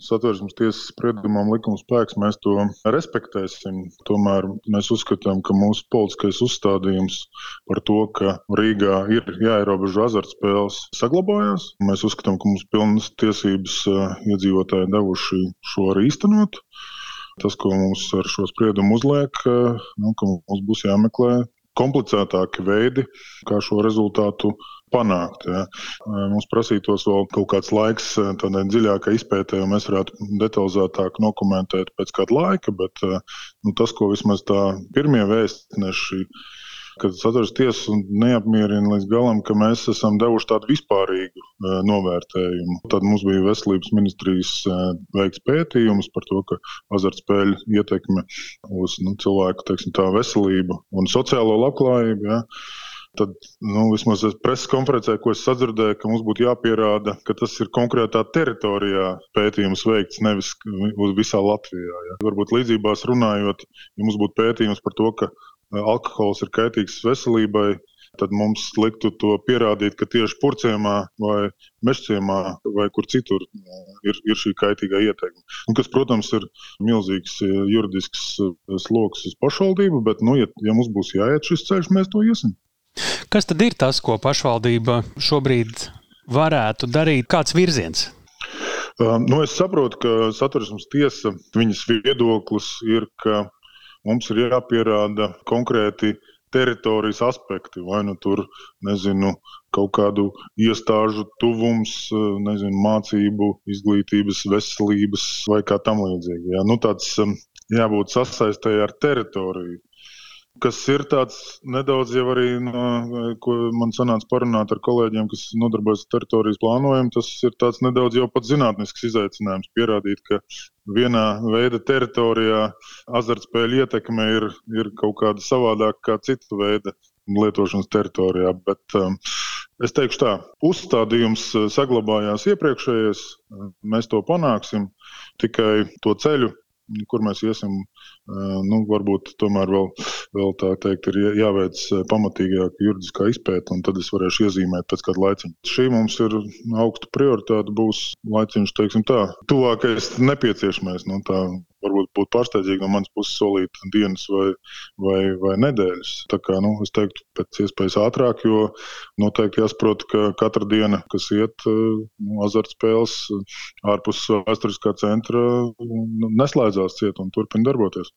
Satversmes tiesas spriedumam likuma spēks, mēs to respektēsim. Tomēr mēs uzskatām, ka mūsu politiskais uzstādījums par to, ka Rīgā ir jāierobežo azartspēles, saglabājās. Mēs uzskatām, ka mums pilnas tiesības iedzīvotāji devuši šo arī īstenot. Tas, ko mums ar šo spriedumu uzliek, ka mums būs jāmeklē komplicētāki veidi, kā šo rezultātu panākt. Ja. Mums prasītos vēl kaut kāds laiks tādai dziļākai izpētē, un mēs varētu detalizētāk nokomentēt pēc kāda laika, bet tas, ko vismaz tā pirmie vēstneši, kad Satversmes tiesa neapmierina līdz galam, ka mēs esam devuši tādu vispārīgu novērtējumu. Tad mums bija Veselības ministrijas veikts pētījums par to, ka azartspēļu ietekme uz cilvēku veselību un sociālo labklājību. Ja. Tad vismaz preses konferencē, ko es sadzirdēju, ka mums būtu jāpierāda, ka tas ir konkrētā teritorijā pētījums veikts, nevis uz visā Latvijā. Ja. Varbūt līdzībās runājot, ja mums būtu pētījums par to, ka alkohols ir kaitīgs veselībai, tad mums liktu to pierādīt, ka tieši Purciemā vai Mežciemā vai kur citur ir šī kaitīgā ietekme. Kas, protams, ir milzīgs juridisks sloks uz pašvaldību, bet, ja mums būs jāiet šis ceļš, mēs to iesim. Kas tad ir tas, ko pašvaldība šobrīd varētu darīt? Kāds virziens? Es saprotu, ka Satversmes tiesa, viņas viedoklis ir, ka mums ir jāpierāda konkrēti teritorijas aspekti, vai tur, kaut kādu iestāžu tuvums, mācību, izglītības, veselības vai kā tam līdzīgi. Ja. Tāds jābūt sasaistē ar teritoriju. Kas ir tāds nedaudz jau arī, ko man sanāca parunāt ar kolēģiem, kas nodarbojas ar teritorijas plānojumu, tas ir tāds nedaudz jau pat zinātnisks izaicinājums pierādīt, ka vienā veida teritorijā azartspēļu ietekme ir kaut kāda savādāka kā cita veida lietošanas teritorijā. Bet es teikšu tā, uzstādījums saglabājās iepriekšējais, mēs to panāksim, tikai to ceļu, kur mēs iesim, varbūt tomēr vēl tā teikt, ir jāveic pamatīgāka juridiskā izpēta, un tad es varēšu iezīmēt pēc kāda laiciņa. Šī mums ir augsta prioritāte, būs laiciņš, teiksim tā, tuvākais nepieciešamais. Tā varbūt būtu pārsteidzīgi no manas puses solīt dienas vai nedēļas. Tā kā, es teiktu, pēc iespējas ātrāk, jo noteikti jāsaprot, ka katra diena, kas iet azartspēles ārpus vēsturiskā centra, neslēdzās ciet un turpina darboties.